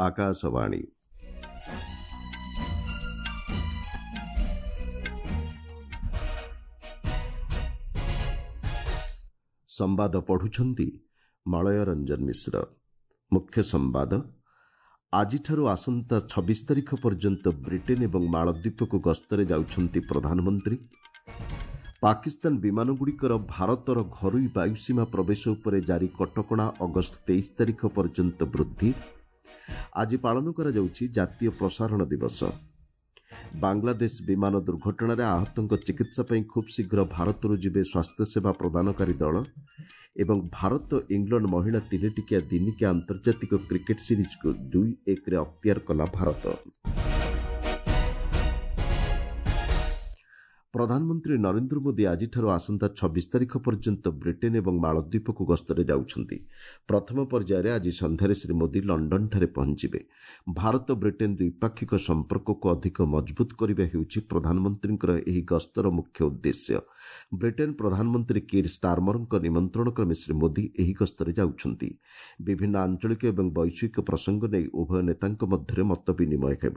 ଆକାଶବାଣୀ। ସମ୍ବାଦ ପଢୁଛନ୍ତି ମଳୟ ରଞ୍ଜନ ମିଶ୍ର। ମୁଖ୍ୟ ସମ୍ବାଦ, ଆଜିଠାରୁ ଆସନ୍ତା 26 ତାରିଖ ପର୍ଯ୍ୟନ୍ତ ବ୍ରିଟେନ ଏବଂ ମାଳଦ୍ୱୀପକୁ ଗସ୍ତରେ ଯାଉଛନ୍ତି ପ୍ରଧାନମନ୍ତ୍ରୀ। ପାକିସ୍ତାନ ବିମାନଗୁଡ଼ିକର ଭାରତର ଘରୋଇ ବାୟୁସୀମା ପ୍ରବେଶ ଉପରେ ଜାରି କଟକଣା ଅଗଷ୍ଟ 23 ତାରିଖ ପର୍ଯ୍ୟନ୍ତ ବୃଦ୍ଧି। ଆଜି ପାଳନ କରାଯାଉଛି ଜାତୀୟ ପ୍ରସାରଣ ଦିବସ। ବାଂଲାଦେଶ ବିମାନ ଦୁର୍ଘଟଣାରେ ଆହତଙ୍କ ଚିକିତ୍ସା ପାଇଁ ଖୁବ୍ ଶୀଘ୍ର ଭାରତରୁ ଯିବେ ସ୍ୱାସ୍ଥ୍ୟସେବା ପ୍ରଦାନକାରୀ ଦଳ ଏବଂ ଭାରତ ଇଂଲଣ୍ଡ ମହିଳା ତିନିଟିକିଆ ଦିନିକିଆ ଆନ୍ତର୍ଜାତିକ କ୍ରିକେଟ୍ ସିରିଜ୍କୁ 2-1ରେ ଅକ୍ତିଆର କଲା ଭାରତ। ପ୍ରଧାନମନ୍ତ୍ରୀ ନରେନ୍ଦ୍ର ମୋଦି ଆଜିଠାରୁ ଆସନ୍ତା 26 ତାରିଖ ପର୍ଯ୍ୟନ୍ତ ବ୍ରିଟେନ ଏବଂ ମାଳଦ୍ୱୀପକୁ ଗସ୍ତରେ ଯାଉଛନ୍ତି। ପ୍ରଥମ ପର୍ଯ୍ୟାୟରେ ଆଜି ସନ୍ଧ୍ୟାରେ ଶ୍ରୀ ମୋଦି ଲଣ୍ଡନଠାରେ ପହଞ୍ଚିବେ। ଭାରତ ବ୍ରିଟେନ ଦ୍ୱିପାକ୍ଷିକ ସମ୍ପର୍କକୁ ଅଧିକ ମଜବୁତ କରିବା ହେଉଛି ପ୍ରଧାନମନ୍ତ୍ରୀଙ୍କର ଏହି ଗସ୍ତର ମୁଖ୍ୟ ଉଦ୍ଦେଶ୍ୟ। ବ୍ରିଟେନ ପ୍ରଧାନମନ୍ତ୍ରୀ କିର୍ ଷ୍ଟାରମରଙ୍କ ନିମନ୍ତ୍ରଣ କ୍ରମେ ଶ୍ରୀ ମୋଦି ଏହି ଗସ୍ତରେ ଯାଉଛନ୍ତି। ବିଭିନ୍ନ ଆଞ୍ଚଳିକ ଏବଂ ବୈଶ୍ୱିକ ପ୍ରସଙ୍ଗ ନେଇ ଉଭୟ ନେତାଙ୍କ ମଧ୍ୟରେ ମତ ବିନିମୟ ହେବ।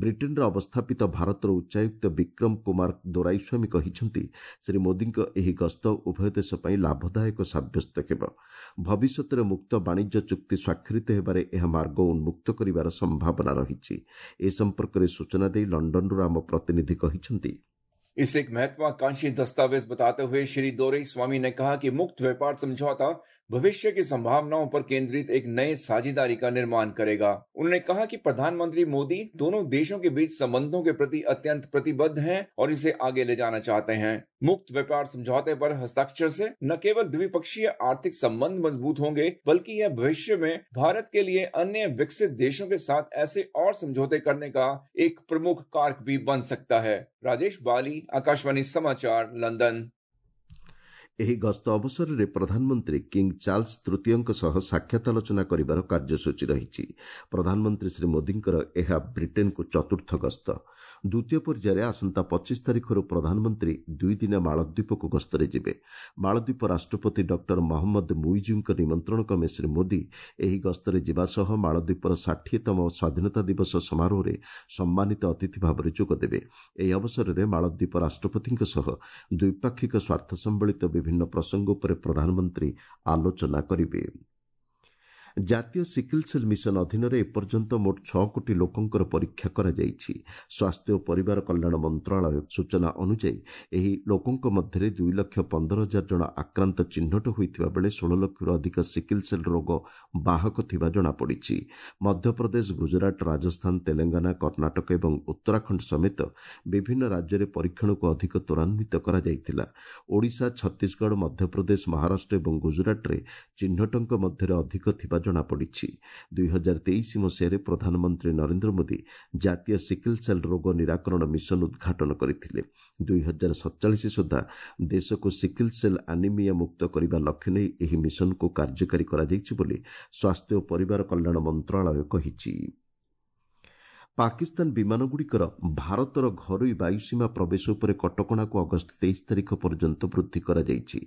ବ୍ରିଟେନରେ ଅବସ୍ଥାପିତ ଭାରତର ଉଚ୍ଚାୟୁକ୍ତ ବିକ୍ରମ କୁମାର ଦୋରାଇସ୍ୱାମୀ କହିଛନ୍ତି, ଶ୍ରୀ ମୋଦିଙ୍କ ଏହି ଗସ୍ତ ଉଭୟ ଦେଶ ପାଇଁ ଲାଭଦାୟକ ସାବ୍ୟସ୍ତ ହେବ। ଭବିଷ୍ୟତରେ ମୁକ୍ତ ବାଣିଜ୍ୟ ଚୁକ୍ତି ସ୍ୱାକ୍ଷରିତ ହେବାରେ ଏହା ମାର୍ଗ ଉନ୍ମୁକ୍ତ କରିବାର ସମ୍ଭାବନା ରହିଛି। ଏ ସମ୍ପର୍କରେ ସୂଚନା ଦେଇ ଲଣ୍ଡନରୁ ଆମ ପ୍ରତିନିଧି କହିଛନ୍ତି, इसे एक महत्वाकांक्षी दस्तावेज बताते हुए श्री दोरईस्वामी ने कहा कि मुक्त व्यापार समझौता भविष्य की संभावनाओं पर केंद्रित एक नए साझेदारी का निर्माण करेगा। उन्होंने कहा कि प्रधानमंत्री मोदी दोनों देशों के बीच संबंधों के प्रति अत्यंत प्रतिबद्ध हैं और इसे आगे ले जाना चाहते हैं। मुक्त व्यापार समझौते पर हस्ताक्षर से न केवल द्विपक्षीय आर्थिक संबंध मजबूत होंगे, बल्कि यह भविष्य में भारत के लिए अन्य विकसित देशों के साथ ऐसे और समझौते करने का एक प्रमुख कारक भी बन सकता है। राजेश बाली, आकाशवाणी समाचार, लंदन। ଏହି ଗସ୍ତ ଅବସରରେ ପ୍ରଧାନମନ୍ତ୍ରୀ କିଙ୍ଗ ଚାର୍ଲସ ତୃତୀୟଙ୍କ ସହ ସାକ୍ଷାତ ଆଲୋଚନା କରିବାର କାର୍ଯ୍ୟସୂଚୀ ରହିଛି। ପ୍ରଧାନମନ୍ତ୍ରୀ ଶ୍ରୀ ମୋଦିଙ୍କର ଏହା ବ୍ରିଟେନକୁ ଚତୁର୍ଥ ଗସ୍ତ। ଦ୍ୱିତୀୟ ପର୍ଯ୍ୟାୟରେ ଆସନ୍ତା 25 ତାରିଖରୁ ପ୍ରଧାନମନ୍ତ୍ରୀ ଦୁଇଦିନିଆ ମାଳଦ୍ୱୀପକୁ ଗସ୍ତରେ ଯିବେ। ମାଳଦ୍ୱୀପ ରାଷ୍ଟ୍ରପତି ଡକ୍ଟର ମହମ୍ମଦ ମୁଇଜୁଙ୍କ ନିମନ୍ତ୍ରଣ କ୍ରମେ ଶ୍ରୀ ମୋଦି ଏହି ଗସ୍ତରେ ଯିବା ସହ ମାଳଦ୍ୱୀପର 60ତମ ସ୍ୱାଧୀନତା ଦିବସ ସମାରୋହରେ ସମ୍ମାନିତ ଅତିଥି ଭାବରେ ଯୋଗଦେବେ। ଏହି ଅବସରରେ ମାଳଦ୍ୱୀପ ରାଷ୍ଟ୍ରପତିଙ୍କ ସହ ଦ୍ୱିପାକ୍ଷିକ ସ୍ୱାର୍ଥ ସମ୍ବଳିତ ବିଭିନ୍ନ ପ୍ରସଙ୍ଗ ଉପରେ ପ୍ରଧାନମନ୍ତ୍ରୀ ଆଲୋଚନା କରିବେ। ଜାତୀୟ ସିକିଲ୍ ସେଲ୍ ମିଶନ ଅଧୀନରେ ଏପର୍ଯ୍ୟନ୍ତ ମୋଟ 6 କୋଟି ଲୋକଙ୍କର ପରୀକ୍ଷା କରାଯାଇଛି। ସ୍ୱାସ୍ଥ୍ୟ ଓ ପରିବାର କଲ୍ୟାଣ ମନ୍ତ୍ରଣାଳୟ ସୂଚନା ଅନୁଯାୟୀ ଏହି ଲୋକଙ୍କ ମଧ୍ୟରେ 2,15,000 ଜଣ ଆକ୍ରାନ୍ତ ଚିହ୍ନଟ ହୋଇଥିବା ବେଳେ 16 ଲକ୍ଷରୁ ଅଧିକ ସିକିଲ୍ ସେଲ୍ ରୋଗ ବାହକ ଥିବା ଜଣାପଡ଼ିଛି। ମଧ୍ୟପ୍ରଦେଶ, ଗୁଜରାଟ, ରାଜସ୍ଥାନ, ତେଲେଙ୍ଗାନା, କର୍ଣ୍ଣାଟକ ଏବଂ ଉତ୍ତରାଖଣ୍ଡ ସମେତ ବିଭିନ୍ନ ରାଜ୍ୟରେ ପରୀକ୍ଷଣକୁ ଅଧିକ ତ୍ୱରାନ୍ୱିତ କରାଯାଇଥିଲା। ଓଡ଼ିଶା, ଛତିଶଗଡ଼, ମଧ୍ୟପ୍ରଦେଶ, ମହାରାଷ୍ଟ୍ର ଏବଂ ଗୁଜରାଟରେ ଚିହ୍ନଟଙ୍କ ମଧ୍ୟରେ ଅଧିକ ଥିବା ଜଣାପଡ଼ିଛି। 2023 ମସିହାରେ ପ୍ରଧାନମନ୍ତ୍ରୀ ନରେନ୍ଦ୍ର ମୋଦି ଜାତୀୟ ସିକିଲ୍ ସେଲ୍ ରୋଗ ନିରାକରଣ ମିଶନ ଉଦ୍ଘାଟନ କରିଥିଲେ। 2047 ସୁଦ୍ଧା ଦେଶକୁ ସିକିଲ୍ ସେଲ୍ ଆନିମିଆ ମୁକ୍ତ କରିବା ଲକ୍ଷ୍ୟ ନେଇ ଏହି ମିଶନକୁ କାର୍ଯ୍ୟକାରୀ କରାଯାଇଛି ବୋଲି ସ୍ୱାସ୍ଥ୍ୟ ଓ ପରିବାର କଲ୍ୟାଣ ମନ୍ତ୍ରଣାଳୟ କହିଛି। ପାକିସ୍ତାନ ବିମାନଗୁଡ଼ିକର ଭାରତର ଘରୋଇ ବାୟୁସୀମା ପ୍ରବେଶ ଉପରେ କଟକଣାକୁ ଅଗଷ୍ଟ 23 ତାରିଖ ପର୍ଯ୍ୟନ୍ତ ବୃଦ୍ଧି କରାଯାଇଛି।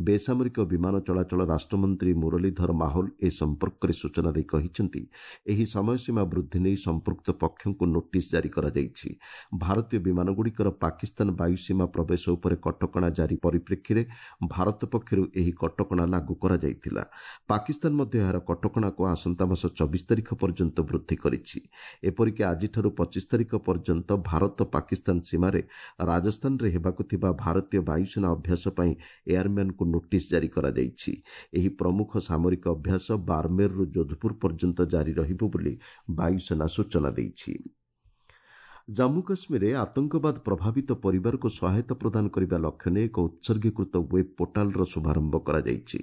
ବେସାମରିକ ବିମାନ ଚଳାଚଳ ରାଷ୍ଟ୍ରମନ୍ତ୍ରୀ ମୁରଲୀଧର ମାହୋଲ ଏ ସମ୍ପର୍କରେ ସୂଚନା ଦେଇ କହିଛନ୍ତି, ଏହି ସମୟସୀମା ବୃଦ୍ଧି ନେଇ ସମ୍ପୃକ୍ତ ପକ୍ଷଙ୍କୁ ନୋଟିସ୍ ଜାରି କରାଯାଇଛି। ଭାରତୀୟ ବିମାନଗୁଡ଼ିକର ପାକିସ୍ତାନ ବାୟୁସୀମା ପ୍ରବେଶ ଉପରେ କଟକଣା ଜାରି ପରିପ୍ରେକ୍ଷୀରେ ଭାରତ ପକ୍ଷରୁ ଏହି କଟକଣା ଲାଗୁ କରାଯାଇଥିଲା। ପାକିସ୍ତାନ ମଧ୍ୟ ଏହାର କଟକଣାକୁ ଆସନ୍ତା ମାସ 24 ତାରିଖ ପର୍ଯ୍ୟନ୍ତ ବୃଦ୍ଧି କରିଛି। ଏପରିକି ଆଜିଠାରୁ 25 ତାରିଖ ପର୍ଯ୍ୟନ୍ତ ଭାରତ ପାକିସ୍ତାନ ସୀମାରେ ରାଜସ୍ଥାନରେ ହେବାକୁ ଥିବା ଭାରତୀୟ ବାୟୁସେନା ଅଭ୍ୟାସ ପାଇଁ ଏୟାରମ୍ୟାନକୁ ନୋଟିସ୍ ଜାରି କରାଯାଇଛି। ଏହି ପ୍ରମୁଖ ସାମରିକ ଅଭ୍ୟାସ ବାରମେରରୁ ଯୋଧପୁର ପର୍ଯ୍ୟନ୍ତ ଜାରି ରହିବ ବୋଲି ବାୟୁସେନା ସୂଚନା ଦେଇଛି। ଜାମ୍ମୁ କାଶ୍ମୀରରେ ଆତଙ୍କବାଦ ପ୍ରଭାବିତ ପରିବାରକୁ ସହାୟତା ପ୍ରଦାନ କରିବା ଲକ୍ଷ୍ୟ ନେଇ ଏକ ଉତ୍ସର୍ଗୀକୃତ ୱେବ୍ ପୋର୍ଟାଲର ଶୁଭାରମ୍ଭ କରାଯାଇଛି।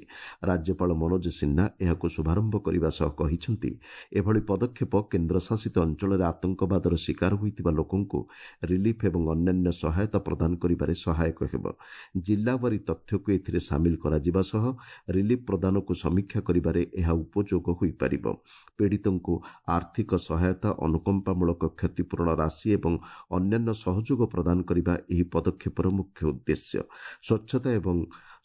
ରାଜ୍ୟପାଳ ମନୋଜ ସିହ୍ନା ଏହାକୁ ଶୁଭାରମ୍ଭ କରିବା ସହ କହିଛନ୍ତି, ଏଭଳି ପଦକ୍ଷେପ କେନ୍ଦ୍ରଶାସିତ ଅଞ୍ଚଳରେ ଆତଙ୍କବାଦର ଶିକାର ହୋଇଥିବା ଲୋକଙ୍କୁ ରିଲିଫ୍ ଏବଂ ଅନ୍ୟାନ୍ୟ ସହାୟତା ପ୍ରଦାନ କରିବାରେ ସହାୟକ ହେବ। ଜିଲ୍ଲାୱାରୀ ତଥ୍ୟକୁ ଏଥିରେ ସାମିଲ କରାଯିବା ସହ ରିଲିଫ୍ ପ୍ରଦାନକୁ ସମୀକ୍ଷା କରିବାରେ ଏହା ଉପଯୋଗ ହୋଇପାରିବ। ପୀଡ଼ିତଙ୍କୁ ଆର୍ଥିକ ସହାୟତା, ଅନୁକମ୍ପାମୂଳକ କ୍ଷତିପୂରଣ ରାଶି ଏବଂ ଅନ୍ୟାନ୍ୟ ସହଯୋଗ ପ୍ରଦାନ କରିବା ଏହି ପଦକ୍ଷେପର ମୁଖ୍ୟ ଉଦ୍ଦେଶ୍ୟ। ସ୍ୱଚ୍ଛତା ଏବଂ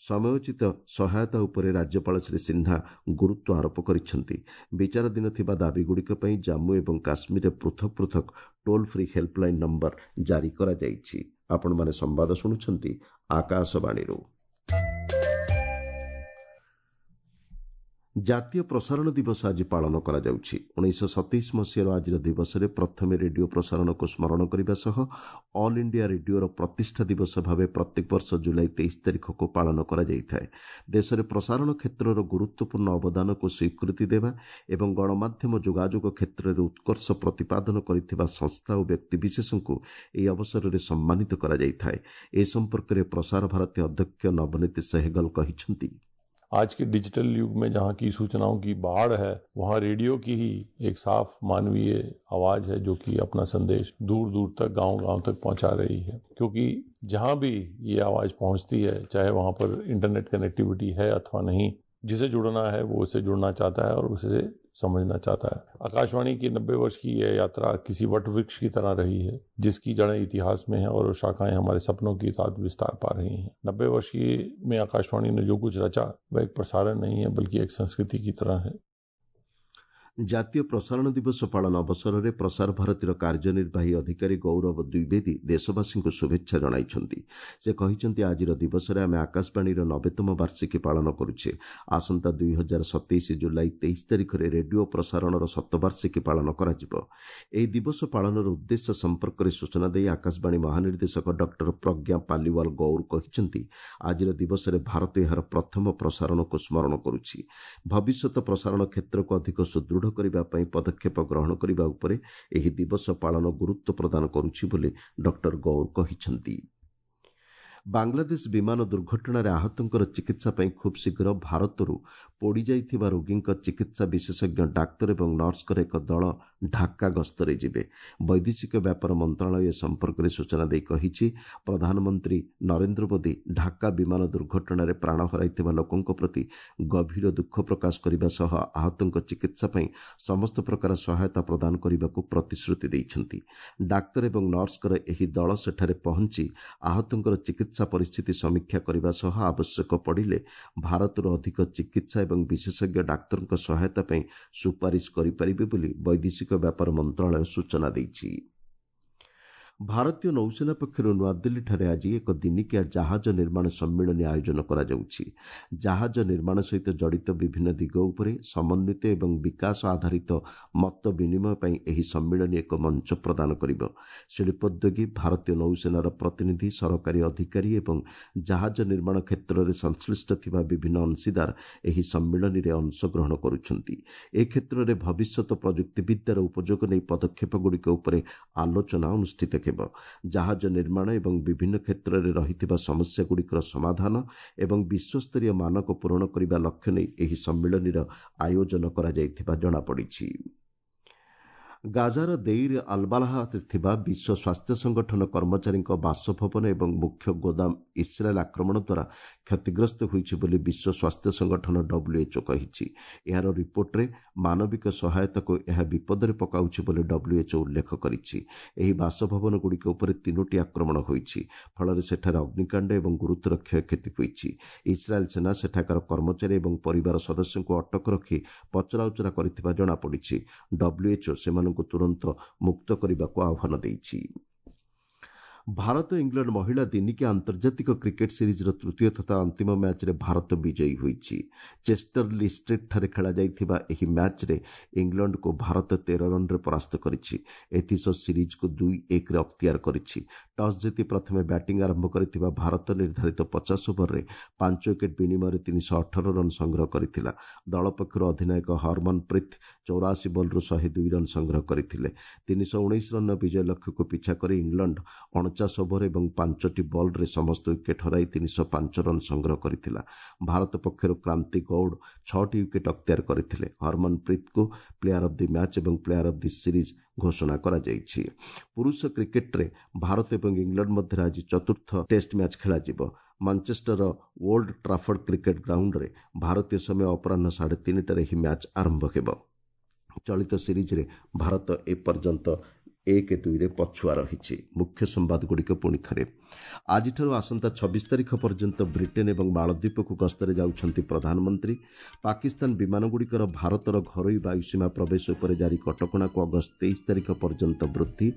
ସମୟୋଚିତ ସହାୟତା ଉପରେ ରାଜ୍ୟପାଳ ଶ୍ରୀ ସିହ୍ନା ଗୁରୁତ୍ୱ ଆରୋପ କରିଛନ୍ତି। ବିଚାରାଧୀନ ଥିବା ଦାବିଗୁଡ଼ିକ ପାଇଁ ଜାମ୍ମୁ ଏବଂ କାଶ୍ମୀରରେ ପୃଥକ ପୃଥକ ଟୋଲ୍ ଫ୍ରି ହେଲ୍ପଲାଇନ୍ ନମ୍ବର ଜାରି କରାଯାଇଛି। ଆପଣମାନେ ସମ୍ବାଦ ଶୁଣୁଛନ୍ତି ଆକାଶବାଣୀରୁ। ଜାତୀୟ ପ୍ରସାରଣ ଦିବସ ଆଜି ପାଳନ କରାଯାଉଛି। 1927 ମସିହାର ଆଜିର ଦିବସରେ ପ୍ରଥମେ ରେଡିଓ ପ୍ରସାରଣକୁ ସ୍ମରଣ କରିବା ସହ ଅଲ୍ ଇଣ୍ଡିଆ ରେଡିଓର ପ୍ରତିଷ୍ଠା ଦିବସ ଭାବେ ପ୍ରତ୍ୟେକ ବର୍ଷ ଜୁଲାଇ 23 ତାରିଖକୁ ପାଳନ କରାଯାଇଥାଏ। ଦେଶରେ ପ୍ରସାରଣ କ୍ଷେତ୍ରର ଗୁରୁତ୍ୱପୂର୍ଣ୍ଣ ଅବଦାନକୁ ସ୍ୱୀକୃତି ଦେବା ଏବଂ ଗଣମାଧ୍ୟମ ଯୋଗାଯୋଗ କ୍ଷେତ୍ରରେ ଉତ୍କର୍ଷ ପ୍ରତିପାଦନ କରିଥିବା ସଂସ୍ଥା ଓ ବ୍ୟକ୍ତିବିଶେଷଙ୍କୁ ଏହି ଅବସରରେ ସମ୍ମାନିତ କରାଯାଇଥାଏ। ଏ ସମ୍ପର୍କରେ ପ୍ରସାର ଭାରତୀ ଅଧ୍ୟକ୍ଷ ନବନୀତ ସେହଗଲ କହିଛନ୍ତି, आज के डिजिटल युग में जहाँ की सूचनाओं की बाढ़ है, वहाँ रेडियो की ही एक साफ मानवीय आवाज़ है जो कि अपना संदेश दूर दूर तक, गांव-गांव तक पहुँचा रही है। क्योंकि जहाँ भी ये आवाज़ पहुँचती है, चाहे वहाँ पर इंटरनेट कनेक्टिविटी है अथवा नहीं, जिसे जुड़ना है वो उसे जुड़ना चाहता है और उसे समझना चाहता है। आकाशवाणी की 90 वर्ष की यह यात्रा किसी what वृक्ष की तरह रही है, जिसकी जड़ें इतिहास में हैं और शाखाएं हमारे सपनों की साथ विस्तार पा रही हैं। 90 वर्ष की में आकाशवाणी ने जो कुछ रचा वह एक प्रसारण नहीं है बल्कि एक संस्कृति की तरह है। ଜାତୀୟ ପ୍ରସାରଣ ଦିବସ ପାଳନ ଅବସରରେ ପ୍ରସାର ଭାରତୀର କାର୍ଯ୍ୟନିର୍ବାହୀ ଅଧିକାରୀ ଗୌରବ ଦ୍ୱିବେଦୀ ଦେଶବାସୀଙ୍କୁ ଶୁଭେଚ୍ଛା ଜଣାଇଛନ୍ତି। ସେ କହିଛନ୍ତି, ଆଜିର ଦିବସରେ ଆମେ ଆକାଶବାଣୀର 90ତମ ବାର୍ଷିକୀ ପାଳନ କରୁଛେ। ଆସନ୍ତା 2027 ଜୁଲାଇ 23 ତାରିଖରେ ରେଡିଓ ପ୍ରସାରଣର ଶତବାର୍ଷିକୀ ପାଳନ କରାଯିବ। ଏହି ଦିବସ ପାଳନର ଉଦ୍ଦେଶ୍ୟ ସମ୍ପର୍କରେ ସୂଚନା ଦେଇ ଆକାଶବାଣୀ ମହାନିର୍ଦ୍ଦେଶକ ଡକ୍ଟର ପ୍ରଜ୍ଞା ପାଲିୱାଲ ଗୌର କହିଛନ୍ତି, ଆଜିର ଦିବସରେ ଭାରତ ଏହାର ପ୍ରଥମ ପ୍ରସାରଣକୁ ସ୍ମରଣ କରୁଛି। ଭବିଷ୍ୟତ ପ୍ରସାରଣ କ୍ଷେତ୍ରକୁ ଅଧିକ ସୁଦୃଢ଼ କରିବା ପାଇଁ ପଦକ୍ଷେପ ଗ୍ରହଣ କରିବା ଉପରେ ଏହି ଦିବସ ପାଳନ ଗୁରୁତ୍ୱ ପ୍ରଦାନ କରୁଛି ବୋଲି ଡକ୍ଟର ଗୌର କହିଛନ୍ତି। ବାଂଲାଦେଶ ବିମାନ ଦୁର୍ଘଟଣାରେ ଆହତଙ୍କର ଚିକିତ୍ସା ପାଇଁ ଖୁବ୍ ଶୀଘ୍ର ଭାରତରୁ ପୋଡ଼ିଯାଇଥିବା ରୋଗୀଙ୍କ ଚିକିତ୍ସା ବିଶେଷଜ୍ଞ ଡାକ୍ତର ଏବଂ ନର୍ସଙ୍କର ଏକ ଦଳ ଢାକା ଗସ୍ତରେ ଯିବେ। ବୈଦେଶିକ ବ୍ୟାପାର ମନ୍ତ୍ରଣାଳୟ ଏ ସମ୍ପର୍କରେ ସୂଚନା ଦେଇ କହିଛି, ପ୍ରଧାନମନ୍ତ୍ରୀ ନରେନ୍ଦ୍ର ମୋଦି ଢାକା ବିମାନ ଦୁର୍ଘଟଣାରେ ପ୍ରାଣ ହରାଇଥିବା ଲୋକଙ୍କ ପ୍ରତି ଗଭୀର ଦୁଃଖ ପ୍ରକାଶ କରିବା ସହ ଆହତଙ୍କ ଚିକିତ୍ସା ପାଇଁ ସମସ୍ତ ପ୍ରକାର ସହାୟତା ପ୍ରଦାନ କରିବାକୁ ପ୍ରତିଶ୍ରୁତି ଦେଇଛନ୍ତି। ଡାକ୍ତର ଏବଂ ନର୍ସଙ୍କର ଏହି ଦଳ ସେଠାରେ ପହଞ୍ଚି ଆହତଙ୍କର ଚିକିତ୍ସା ପରିସ୍ଥିତି ସମୀକ୍ଷା କରିବା ସହ ଆବଶ୍ୟକ ପଡ଼ିଲେ ଭାରତରୁ ଅଧିକ ଚିକିତ୍ସା ଏବଂ ବିଶେଷଜ୍ଞ ଡାକ୍ତରଙ୍କ ସହାୟତା ପାଇଁ ସୁପାରିଶ କରିପାରିବେ ବୋଲି ବୈଦେଶିକ ବ୍ୟାପାର ମନ୍ତ୍ରଣାଳୟ ସୂଚନା ଦେଇଛି। ଭାରତୀୟ ନୌସେନା ପକ୍ଷରୁ ନୂଆଦିଲ୍ଲୀଠାରେ ଆଜି ଏକ ଦିନିକିଆ ଜାହାଜ ନିର୍ମାଣ ସମ୍ମିଳନୀ ଆୟୋଜନ କରାଯାଉଛି। ଜାହାଜ ନିର୍ମାଣ ସହିତ ଜଡ଼ିତ ବିଭିନ୍ନ ଦିଗ ଉପରେ ସମନ୍ୱିତ ଏବଂ ବିକାଶ ଆଧାରିତ ମତ ବିନିମୟ ପାଇଁ ଏହି ସମ୍ମିଳନୀ ଏକ ମଞ୍ଚ ପ୍ରଦାନ କରିବ। ଶିଳ୍ପୋଦ୍ୟୋଗୀ, ଭାରତୀୟ ନୌସେନାର ପ୍ରତିନିଧି, ସରକାରୀ ଅଧିକାରୀ ଏବଂ ଜାହାଜ ନିର୍ମାଣ କ୍ଷେତ୍ରରେ ସଂଶ୍ଳିଷ୍ଟ ଥିବା ବିଭିନ୍ନ ଅଂଶୀଦାର ଏହି ସମ୍ମିଳନୀରେ ଅଂଶଗ୍ରହଣ କରୁଛନ୍ତି। ଏ କ୍ଷେତ୍ରରେ ଭବିଷ୍ୟତ ପ୍ରଯୁକ୍ତିବିଦ୍ୟାର ଉପଯୋଗ ନେଇ ପଦକ୍ଷେପଗୁଡ଼ିକ ଉପରେ ଆଲୋଚନା ଅନୁଷ୍ଠିତ ହେବ। ଜାହାଜ ନିର୍ମାଣ ଏବଂ ବିଭିନ୍ନ କ୍ଷେତ୍ରରେ ରହିଥିବା ସମସ୍ୟାଗୁଡ଼ିକର ସମାଧାନ ଏବଂ ବିଶ୍ୱସ୍ତରୀୟ ମାନକ ପୂରଣ କରିବା ଲକ୍ଷ୍ୟ ନେଇ ଏହି ସମ୍ମିଳନୀର ଆୟୋଜନ କରାଯାଇଥିବା ଜଣାପଡ଼ିଛି। ଗାଜାର ଦେଇର ଆଲବାଲାହାରେ ଥିବା ବିଶ୍ୱ ସ୍ୱାସ୍ଥ୍ୟ ସଂଗଠନ କର୍ମଚାରୀଙ୍କ ବାସଭବନ ଏବଂ ମୁଖ୍ୟ ଗୋଦାମ ଇସ୍ରାଏଲ୍ ଆକ୍ରମଣ ଦ୍ୱାରା କ୍ଷତିଗ୍ରସ୍ତ ହୋଇଛି ବୋଲି ବିଶ୍ୱ ସ୍ୱାସ୍ଥ୍ୟ ସଂଗଠନ WHO କହିଛି। ଏହାର ରିପୋର୍ଟରେ ମାନବିକ ସହାୟତାକୁ ଏହା ବିପଦରେ ପକାଉଛି ବୋଲି WHO ଉଲ୍ଲେଖ କରିଛି। ଏହି ବାସଭବନଗୁଡ଼ିକ ଉପରେ 3ଟି ଆକ୍ରମଣ ହୋଇଛି, ଫଳରେ ସେଠାରେ ଅଗ୍ନିକାଣ୍ଡ ଏବଂ ଗୁରୁତର କ୍ଷୟକ୍ଷତି ହୋଇଛି। ଇସ୍ରାଏଲ୍ ସେନା ସେଠାକାର କର୍ମଚାରୀ ଏବଂ ପରିବାର ସଦସ୍ୟଙ୍କୁ ଅଟକ ରଖି ପଚରାଉଚରା କରିଥିବା ଜଣାପଡ଼ିଛି। WHO ସେମାନଙ୍କୁ ତୁରନ୍ତ ମୁକ୍ତ କରିବାକୁ ଆହ୍ୱାନ ଦେଇଛି। ଭାରତ ଇଂଲଣ୍ଡ ମହିଳା ଦିନିକିଆ ଆନ୍ତର୍ଜାତିକ କ୍ରିକେଟ୍ ସିରିଜ୍ର ତୃତୀୟ ତଥା ଅନ୍ତିମ ମ୍ୟାଚ୍ରେ ଭାରତ ବିଜୟୀ ହୋଇଛି। ଚେଷ୍ଟର ଲି ଷ୍ଟ୍ରିଟ୍ଠାରେ ଖେଳାଯାଇଥିବା ଏହି ମ୍ୟାଚ୍ରେ ଇଂଲଣ୍ଡକୁ ଭାରତ 13 ରନ୍ରେ ପରାସ୍ତ କରିଛି। ଏଥିସହ ସିରିଜ୍କୁ 2-1ରେ ଅକ୍ତିଆର କରିଛି। ଟସ୍ ଜିତି ପ୍ରଥମେ ବ୍ୟାଟିଂ ଆରମ୍ଭ କରିଥିବା ଭାରତ ନିର୍ଦ୍ଧାରିତ 50 ଓଭରରେ 5 ୱିକେଟ୍ ବିନିମୟରେ 318 ରନ୍ ସଂଗ୍ରହ କରିଥିଲା। ଦଳ ପକ୍ଷରୁ ଅଧିନାୟକ ହରମନପ୍ରୀତ 84 ବଲ୍ରୁ 102 ରନ୍ ସଂଗ୍ରହ କରିଥିଲେ। 319 ରନ୍ର ବିଜୟ ଲକ୍ଷ୍ୟକୁ ପିଛା କରି ଇଂଲଣ୍ଡ 49 ଓଭର ଏବଂ 5ଟି ବଲ୍ରେ ସମସ୍ତ ୱିକେଟ୍ ହରାଇ 305 ରନ୍ ସଂଗ୍ରହ କରିଥିଲା। ଭାରତ ପକ୍ଷରୁ କ୍ରାନ୍ତି ଗୌଡ଼ 6ଟି ୱିକେଟ୍ ଅକ୍ତିଆର କରିଥିଲେ। ହରମନପ୍ରୀତଙ୍କୁ ପ୍ଲେୟାର ଅଫ୍ the match ଏବଂ ପ୍ଲେୟାର ଅଫ୍ the series ଘୋଷଣା କରାଯାଇଛି। ପୁରୁଷ କ୍ରିକେଟ୍ରେ ଭାରତ ଏବଂ ଇଂଲଣ୍ଡ ମଧ୍ୟରେ ଆଜି ଚତୁର୍ଥ ଟେଷ୍ଟ ମ୍ୟାଚ୍ ଖେଳାଯିବ। ମାଞ୍ଚେଷ୍ଟରର ଓଲ୍ଡ ଟ୍ରାଫର୍ଡ କ୍ରିକେଟ୍ ଗ୍ରାଉଣ୍ଡରେ ଭାରତୀୟ ସମୟ ଅପରାହ୍ନ 3:30ଟାରେ ଏହି ମ୍ୟାଚ୍ ଆରମ୍ଭ ହେବ। ଚଳିତ ସିରିଜ୍ରେ ଭାରତ ଏପର୍ଯ୍ୟନ୍ତ 1-2ରେ ପଛୁଆ ରହିଛି। ମୁଖ୍ୟ ସମ୍ବାଦଗୁଡ଼ିକ ପୁଣି ଥରେ। ଆଜିଠାରୁ ଆସନ୍ତା 26 ତାରିଖ ପର୍ଯ୍ୟନ୍ତ ବ୍ରିଟେନ୍ ଏବଂ ମାଳଦ୍ୱୀପକୁ ଗସ୍ତରେ ଯାଉଛନ୍ତି ପ୍ରଧାନମନ୍ତ୍ରୀ। ପାକିସ୍ତାନ ବିମାନଗୁଡ଼ିକର ଭାରତର ଘରୋଇ ବାୟୁସୀମା ପ୍ରବେଶ ଉପରେ ଜାରି କଟକଣାକୁ ଅଗଷ୍ଟ 23 ତାରିଖ ପର୍ଯ୍ୟନ୍ତ ବୃଦ୍ଧି।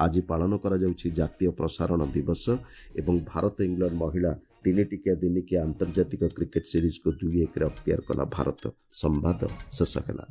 ଆଜି ପାଳନ କରାଯାଉଛି ଜାତୀୟ ପ୍ରସାରଣ ଦିବସ। ଏବଂ ଭାରତ ଇଂଲଣ୍ଡ ମହିଳା 3 ଟିକିଆ ଦିନିକିଆ ଆନ୍ତର୍ଜାତିକ କ୍ରିକେଟ୍ ସିରିଜ୍କୁ 2-1ରେ ଅକ୍ତିଆର କଲା ଭାରତ। ସମ୍ବାଦ ଶେଷ ହେଲା।